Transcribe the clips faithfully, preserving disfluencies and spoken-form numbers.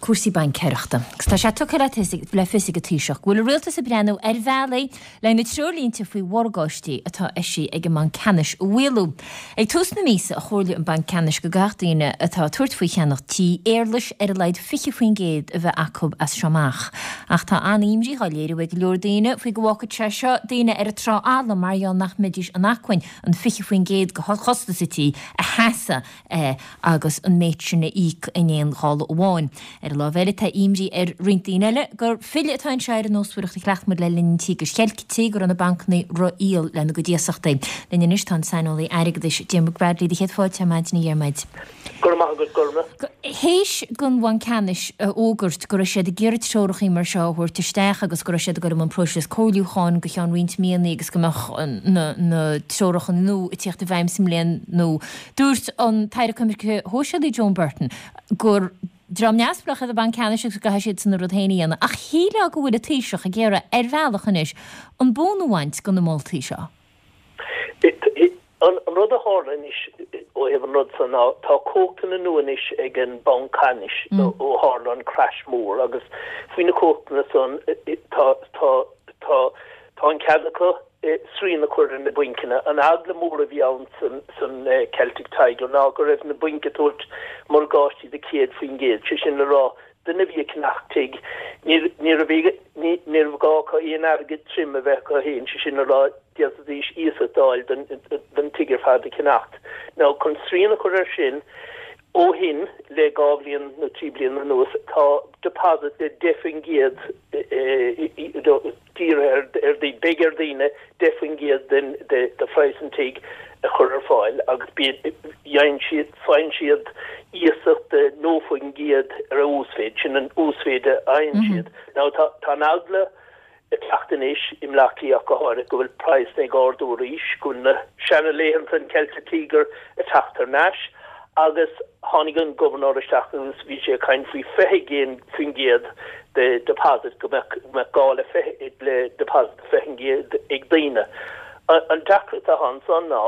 Cúrsaí baincéireachta. Agus tá sé tugtha le le fios ag an Taoiseach go bhfuil an rialtas ag breathnú ar bhealaí le na treoirlínte faoi mhorgáistí atá eisithe ag an mBanc Ceannais a mhaolú. Ag tús na míosa a chomhairligh an Banc Ceannais go gcaithfeadh daoine atá ag tabhairt faoi cheannach tí éarlais ar a laghad fiche faoin gcéad a bheith acu as seo amach. Ach tá an-imní á léiriú ag go leor daoine faoi go bhfágfadh sé seo daoine ar an trá fhalla mar gheall nach mbeidís in acmhainn an fiche faoin gcéad de chostas an tí a sheasamh agus an méid sin a íoc in aon ghála amháin. Ar an lámh eile tá imní ar roinnt daoine eile gur filleadh atá anseo ar an nósmhaireacht a chleacht muid le linn an Tíogair Cheiltigh, go raibh na bancanna rófhial lena gcuid iasachtaí. Linn anois tá an saineolaí airgeadais Diarmuid Bradley do chéad fáilte ar maidin a Dhiarmuid. Go raibh maith agat Gorma. Théis don Bhanc Ceannais a fhógairt go raibh siad ag iarraidh treorachaí mar seo a thabhairt isteach agus go raibh siad ag dul i mbun próiseas comhairliúcháin go ceann roinnt míonna agus go mbeadh na na treoracha nua ag tíocht i bhfeidhm sa mbliain nua, dúirt an tAire Coimirce Sóisialaí Joan Burton gur dream neamhspleách iad an Banc Ceannais agus go gcaithfidh siadsan a rud féin a dhéanamh. Ach shílfeá go bhfuil an Taoiseach ag iarraidh ar bhealach anois an bonn a bhaint de na moltaí seo. An rud a tharla anois ó thaobh an rud san ná tá cumhachtanna nua anois ag an Banc Ceannais ó tharla an crash mór agus faoi na cumhachtanna san tá tá tá tá an cead acu srian a chur ar na bainceanna. An eagla mór a bhí ann san san Celtic Tiger ná go raibh na bainc ag tabhairt morgáistí de céad faoin gcéad, sé sin le rá duine a bhí ag ceannach tigh ní ní raibh ní ní raibh gá acu aon airgead tirim a bheith acu féin, sé sin le rá d'fhéadfaidís iasacht a fháil don don tigh ar fad a cheannacht. Now chun srian a chur air sin ó shin le dhá bhliain nó trí bliana anuas tá deposit de deich faoin gcéad dírithe ar daoine, beidh ar daoine deich faoin gcéad den de phraghas an tigh a chur ar fáil agus faigheann siad faigheann siad iasacht de naoi faoin gcéad ar a uasmhéid, sin an uasmhéid a fhaigheann siad. Now tá tá an eagla ag teacht anois i mBleá Cliath ach go háirithe go bhfuil praghsanna ag ardú arís, go bhfuil na seana-laethanta an Celtic Tiger ag teacht thar n-ais agus tháinig an gobharnóir isteach agus bhí sé ag caint faoi fiche faoin gcéad de deposit, go mbeadh go mbeadh gá le fiche le deposit de fiche faoin gcéad ag daoine. An deacracht atá ansan ná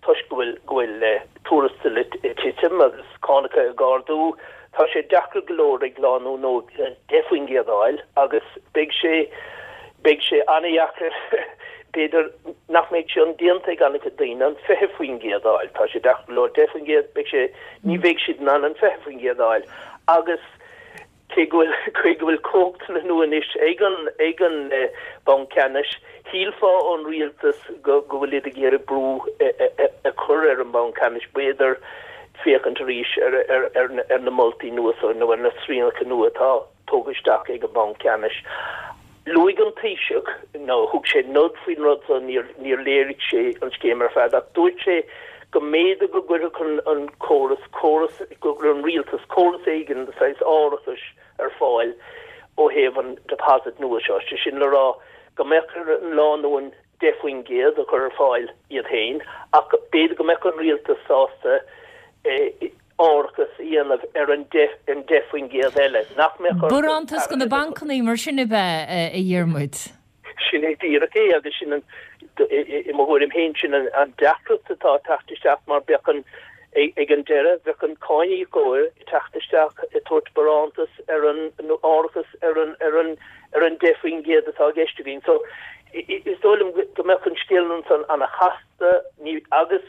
toisc go bhfuil go bhfuil tuarastail ag titim agus cánacha ag ardú, tá sé deacair go leor ag lánúin óg deich faoin gcéad a fháil agus beidh sé beidh sé an-dheacair b'fhéidir nach mbeidh sé indéanta ag an-chuid daoine an fiche faoin gcéad a fháil. Tá sé deacair go leor deich faoin gcéad, beidh sé ní bheidh siad in ann an fiche faoin gcéad a fháil agus cé go bhfuil cé go bhfuil cumhachtanna nua anois ag an ag an Banc Ceannais, shílfeá ón rialtas go go bhfuil iad ag iarraidh brú a chur ar an Bhanc Ceannais b'fhéidir féachaint arís ar ar ar ar na moltaí nua so nó ar na srianacha nua atá tógtha isteach ag an Banc Ceannais. Luaigh an Taoiseach, nó thug sé nod faoin rud so, níor níor léirigh sé an scéim ar fad ach dúirt sé go mb'fhéidir go gcuirfeadh an an córas, córas, go gcuirfeadh an rialtas córas éigin de saghas árachais ar fáil ó thaobh an deposit nua seo, sé sin le rá go mbeadh ar an lánúin deich faoin gcéad a chur ar fáil iad féin ach b'fhéidir go mbeadh an rialtas sásta árachas a dhéanamh ar an deich an deich faoin gcéad eile, nach mbeadh orthu Barántas do na bancannaí mar sin ab ea, a Dhiarmuid? Sin é díreach é agus sin an, i mo thuairim féin, sin an deacracht atá ag teacht isteach mar bheadh an, ag an deireadh, bheadh an cáiníocóir ag teacht isteach ag tabhairt barántas ar an, nó árachas ar an, ar an, ar an deich faoin gcéad atá i gceist againn. So, is dóigh liom go mbeadh an scéal ansan ana-chasta, ní, agus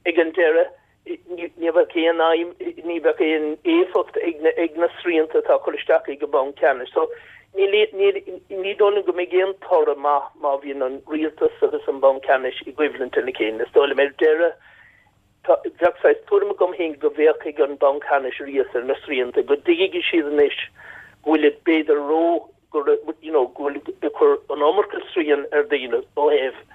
ag an deireadh, ní bheadh aon fheidhm, ní bheadh aon éifeacht ag na ag na srianta atá curtha isteach ag an Bhanc Ceannais. So ní ní ní dóigh liom go mbeidh aon toradh maith má bhíonn an rialtas agus an Banc Ceannais i gcoimhlint lena chéile. Is dóigh liom ar deireadh tá bheadh saghas tuairim agam féin go bhféachfaidh an Banc Ceannais arís ar na srianta, go dtuigfidh siad anois go bhfuil b'fhéidir ró go raibh, you know, go bhfuil ag cur an iomarca srian ar dhaoine ó thaobh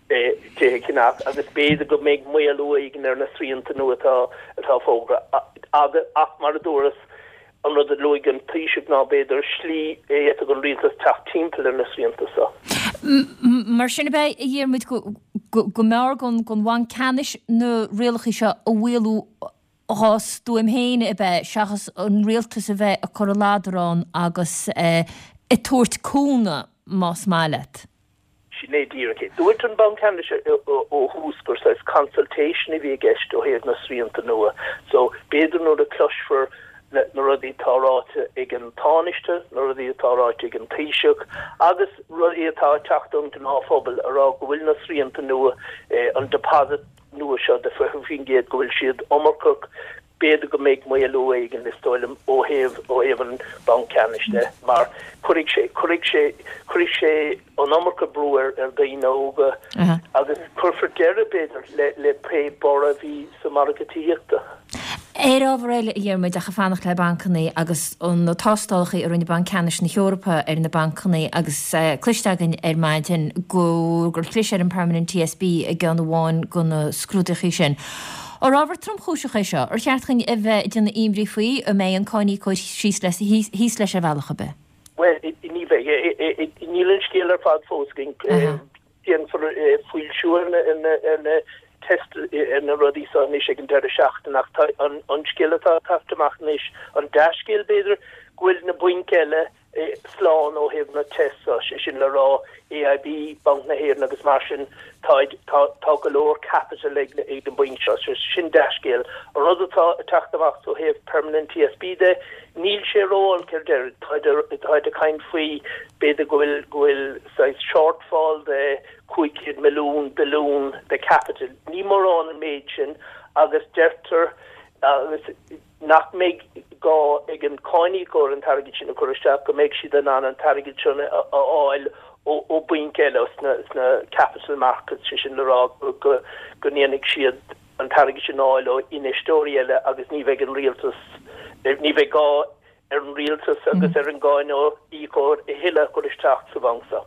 tithe a cheannach agus b'fhéidir go mbeidh maolú éigin ar na srianta nua atá atá fógartha agus ach mar a dúras, an rud a luaigh an Taoiseach ná b'fhéidir slí a fhéadfadh an rialtas teacht timpeall ar na srianta seo. Mar sin ab ea, a Dhiarmuid, go go mb'fhearr don don Bhanc Ceannais na rialacha seo a mhaolú dhá stuaim féin ab ea, seachas an rialtas a bheith ag cur an ladar ann agus ag tabhairt cúnamh, más maith leat. Sin é díreach é. Dúirt an Banc Ceannais ó thús gur saghas consultation a bhí i gceist ó thaobh na srianta nua. So, b'fhéidir nuair a cloisfear na rudaí atá ráite ag an Tánaiste, na rudaí atá ráite ag an Taoiseach agus rudaí atá ag teacht ón ngnáthphobal a rá go bhfuil na srianta nua eh, an deposit nua seo de fiche faoin gcéad go bhfuil siad iomarcach b'fhéidir go mbeidh maolú éigin is dóigh liom ó thaobh ó thaobh an Bhanc Ceannais de mar chuirfidh sé chuirfidh sé chuirfidh sé an iomarca brú ar ar dhaoine óga agus cuirfear deireadh b'fhéidir le le pé borradh a bhí sa margadh tithíochta. Ar ábhar eile a Dhiarmuid ach ag fanacht le bancanna agus an na tástálacha a rinne Banc Ceannais na hEorpa ar na bancanna agus uh, cloiste againn ar maidin go gur chlis ar an Permanent TSB i gceann amháin de na scrúduithe sin. Ar ábhar tromchúiseach é seo, ar cheart dúinn a bheith ag déanamh imní faoi an mbeidh an cáiníocóir síos thíos leis ar bhealach ar bith. Well ní bheidh níl an scéal ar fad fós déanfar foilsiú ar na test ar na rudaí seo anois ag an deireadh seachtaine ach an an scéal atá ag teacht amach anois an dea-scéal b'fhéidir go bhfuil na bainc eile slán ó thaobh na test sé sin le rá AIB Banc na hÉireann agus mar sin tá tá go leor capital ag ag na bainc seo sin dea-scéal an rud atá ag teacht amach ó thaobh permanent TSB de níl sé ró-olc ar deireadh tá ag caint faoi b'fhéidir go bhfuil go bhfuil saghas shortfall de cúig chéad milliún billiún de capital ní mórán an méid sin agus deirtear agus nach mbeidh gá ag an cáiníocóir an t-airgead sin a chur isteach go mbeidh siad in ann an t-airgead sin a fháil ó bhainc eile sna sna capital markets sé sin le rá go go ndéanfaidh siad an t-airgead sin a fháil ó infheisteoirí eile agus ní bheidh an rialtas ní bheidh gá ar an rialtas agus ar an gcáiníocóir a thuilleadh chur isteach sa bhanc seo.